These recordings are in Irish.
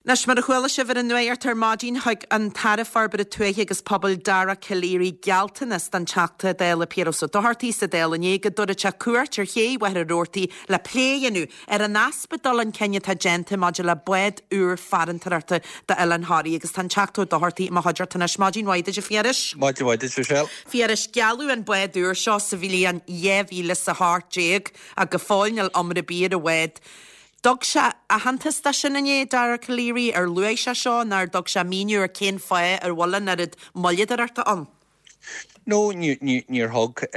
Anois, mar a chuala sibh ar an nuacht ar maidin, thug an tAire Forbartha Tuaithe agus Pobail Dara Calleary gealltanas don Teachta Dála Piaras Ó Dochartaigh sa Dáil inné go dtabharfadh sé cuairt ar ché Mhachaire Rabhartaigh le plé a dhéanamh ar an easpa dul chun cinn atá déanta maidir le bád úr farantóireachta d'Oileán Thoraí agus tá an Teachta Ó Dochartaigh i mo chuideachta anois. Maidin mhaith duit a Phiarais. Maidin mhaith duit Michelle. Phiarais, gealladh an bád úr seo sa bhliain 2018 ach go fóill níl iomrá ar bith ar an bhád. Dtug sé aitheantas dó sin inné, Dara Calleary, ar luaigh sé seo nó ar dtug sé míniú ar cén fáth ar bhfuil an oiread moilleadóireachta ann? No, níor thug,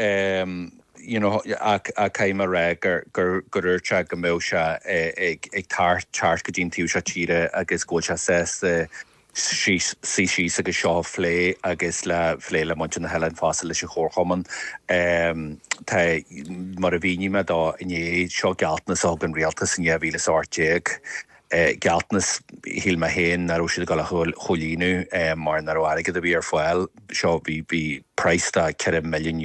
you know, ach caithfidh mé a rá gur gur dúirt sé go mbeadh sé ag teacht go dtí an taobh seo tíre agus go bhfuil sé sásta suí síos agus seo a phlé agus le phlé le muintir na hoileáin fosta leis an chomharchumann. Tá, mar a mhínigh mé dó inné, seo gealltanas a thug an rialtas in 2018, gealltanas, shíl mé féin, nach raibh siad ag dul a chomhlíonadh mar nach raibh airgead ar bith ar fáil. Seo, bhí, bhí praghas de €4 milliún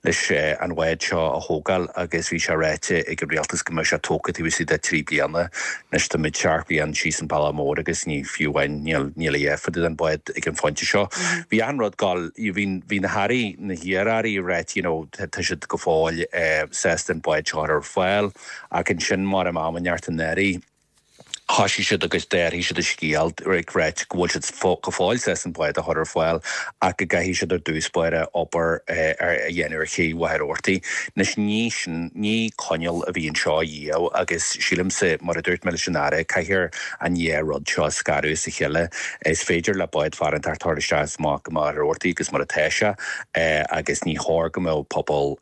leis an bhád seo a thógáil agus bhí sé ráite ag an rialtas go mbeadh sé tógtha taobh istigh de thrí bliana. Anois tá muid seacht bliain síos an bealach mór agus ní fiú amháin, níl, níl a dhath fá dtaobh den bhád ag an phointe seo. Bhí achan rud ag dul, bhí, bhí na hairí, na hiar-airí ag ráit you know tá siad go fóill sásta an bád seo a chur ar fáil ach ansin mar am am in neart an airí, Thoisigh siad agus d'athraigh siad an scéal ag ráit go bhfuil siad go fóill sásta an bád a chur ar fáil ach go gcaithfidh siad ar dtús báire obair a dhéanamh ar ché Mhachaire Rabhartaigh. Anois ní sin, ní coinneal a bhí anseo a dhíobh agus sílimse, mar a dúirt mé leis an Aire, caithfear an dhá rud seo a scaradh as a chéile. Is féidir le bád farantóireachta tabhairt isteach is amach go Machaire Rabhartaigh agus mar atá sé agus ní chóir go mbeadh pobal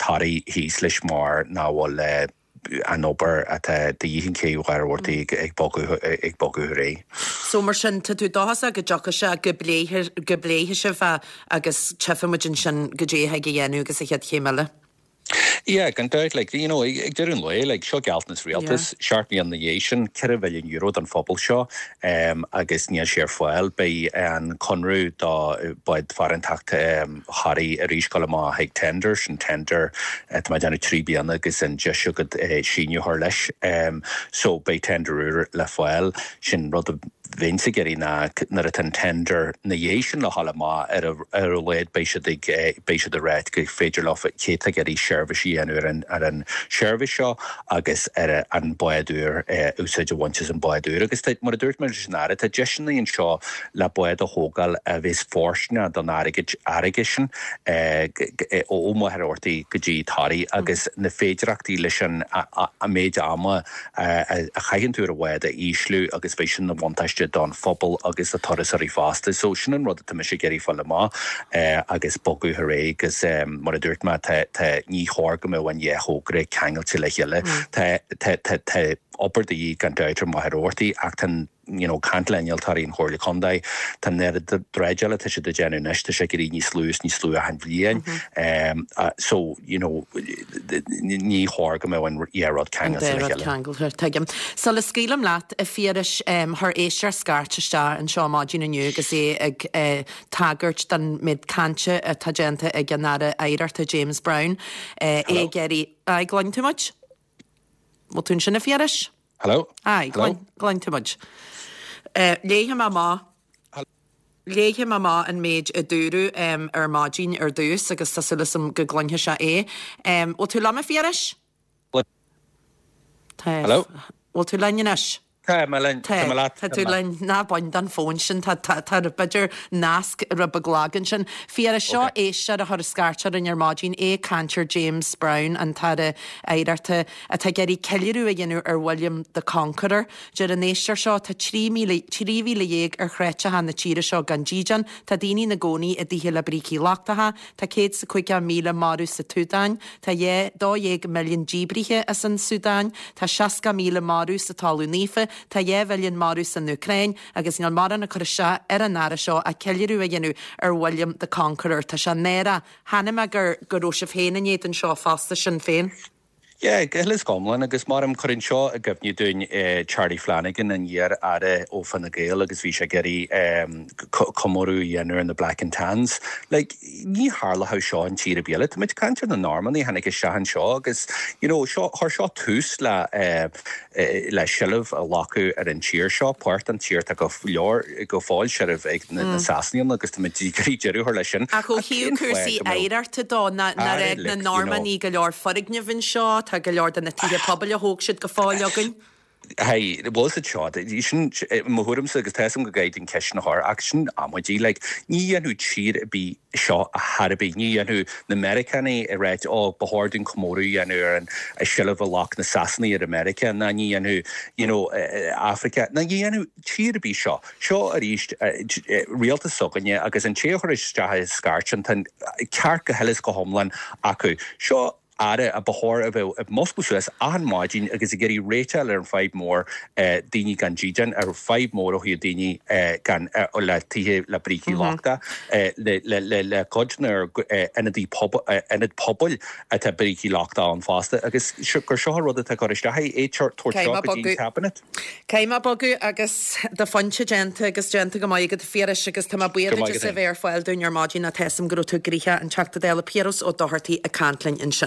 Thoraí thíos leis mar nach bhfuil an obair atá de dhíth an ché Mhachaire Rabhartaigh ag bogadh ag bogadh ar aghaidh. So mar sin, tá tú dóchasach go dtiocfaidh sé, go bpléifidh, go bpléifidh sibh é agus tchífidh muid ansin goidé a thig a dhéanamh agus an chéad chéim eile. Yeah, gan dabht, like, you know, ag deireadh an lae, like, seo gealltanas rialtais, seacht mbliana ina dhiaidh sin, €4 mhilliún don phobal seo, agus níl sé ar fáil. Beidh an conradh do bád farantóireachta, Thoraí arís dul amach chuig tender, sin tender tá mé ag déanamh 3 bliana agus an deis agat síniú a chur leis. So beidh tender úr le fáil. Sin rud a bheinnse ag iarraidh ná nuair atá an tender na dhiaidh sin le dhul amach ar ar a laghad beidh siad ag beidh siad ag ráit gur féidir leo cé atá ag iarraidh seirbhís a dhéanamh ar an ar an seirbhís seo agus ar an bád úr úsáid a bhaint as an bád úr. Agus tá mar a dúirt mé leis an Aire tá deiseanna anseo le bád a thógáil a bheas fóirsteanach don fharraige sin ó Mhachaire Rabhartaigh go dtí Toraigh agus na féidireachtaí leis an méid ama a chaitheann tú ar an bhád a ísliú agus beidh sin ina bhuntáiste don phobal agus do turasóirí fosta. So sin an rud atá mise ag iarraidh fáil amach agus bogadh ar aghaidh agus mar a dúirt mé tá tá ní chóir go mbeadh an dhá thogra ceangailte le chéile. Tá tá tá obair de dhíth gan dabht ar Mhachaire Rabhartaigh ach tá an you know, caint le innealtóirí an Chomhairle Contae, tá an oiread dreideála atá siad ag déanamh anois, tá sé ag éirí níos lú is níos lú achan bhliain. So, you know, ní chóir go mbeadh an dhá rud ceangailte le chéile. Ceangailte, tuigim. Sula scaoilim leat, a Phiarais, chuir éisteoir scairt isteach anseo maidin inniu agus é ag tagairt don méid cainte atá déanta ag an Aire Oidhreachta James Browne, é ag iarraidh, aye, gcluin tú muid? Bhfuil tú ansin a Phiarais? Hello? Aye, Hello? gcluin tú muid. Léifidh mé amach Léifidh mé amach an méid a dúradh ar maidin ar dtús agus tá súil agam go gcluinfidh sé é. Bhfuil tú liom a Phiarais? Tá. Hello? Bhfuil tú linn anois? Tá mé linn. Tá mé leat. Tá tú linn. Ná bain den fón sin. Tá tá tá b'fhéidir nasc rud beag lag ansin. Phiarais, seo éisteoir a chuir scairt orainn ar maidin, é ag caint ar James Browne, an tAire Oidhreachta, atá ag iarraidh ceiliúradh a dhéanamh ar William the Conqueror. Deir an éisteoir seo, tá 13,000 13,000 ar chreiteacha na tíre seo gan dídean, tá daoine ina gcónaí i dtithe le brící lochtacha, tá 150,000 marbh sa tSúdáin, tá 12 milliún díbrithe as an Súdáin, tá 60,000 marbh sa Talamh Naofa, tá 2 mhilliún marbh san Úcráin agus níl mórán ag cur isteach ar an Aire seo ach ceiliúradh a dhéanamh ar William the Conqueror. Tá sé náireach. Chonaic mé gur go raibh sibh féin in éadan seo fosta, Sinn Féin. Yeah, go huile is go hiomlán, agus mar cuireann seo i gcuimhne dúinn Charlie Flanagan, an iar-aire ó Fine Gael agus bhí sé ag iarraidh comóradh a dhéanamh ar na Black and Tans. Like, ní tharlódh seo in tír ar bith eile. Tá muid ag caint ar na Normannaigh a tháinig isteach anseo agus, you know, seo, chuir seo tús le le seilbh a ghlacadh ar an tír seo, páirt den tír atá go leor, go fóill seilbh ag na Sasanaigh ann agus tá muid ag iarraidh deireadh a chur leis sin. Ach ó thaobh cúrsaí oidhreachta dó, nár fhág na Normannaigh go leor foirgneamh anseo, tá go leor de na tithe pobail a thóg siad go fóill againn. Hey, bhfuil siad seo, sin, mo thuairimse agus tá 'fhios a'm go gcaithfidh an ceist sin a chur ach sin amaidí, like, ní dhéanfadh tír ar bith seo ar chor ar bith, ní dhéanfadh na Meiriceánaigh ag ráit, oh, ba chóir dúinn comóradh a dhéanamh ar an seilbh a ghlac na Sasanaigh ar America, ná ní dhéanfadh, you know, Africa, ná ní dhéanfadh tír ar bith seo. Seo arís rialtas s'againne agus an té a chuir isteach an scairt sin, tá an ceart go huile is go hiomlán acu. Seo Aire a ba chóir a bheith ag muscladh suas achan maidin agus ag iarraidh réiteach ar an fadhb mór daoine gan dídean, ar fadhb mór ó thaobh daoine gan le tithe le brící lochtacha, le le cuid na ionadaí ionad pobail atá brící lochtacha ann fosta agus gur seo an rud atá ag cur isteach é, é tabhairt seo go dtí an Cabinet. Caithfidh mé bogadh agus do phointe déanta agus déanta go maith agat a Phiarais agus tá mé buíoch duit as a bheith ar fáil dúinn ar maidin tá 'fhios a'm go raibh tú gnoitheach an Teachta Dála Piaras Ó Dochartaigh ag caint linn ansin.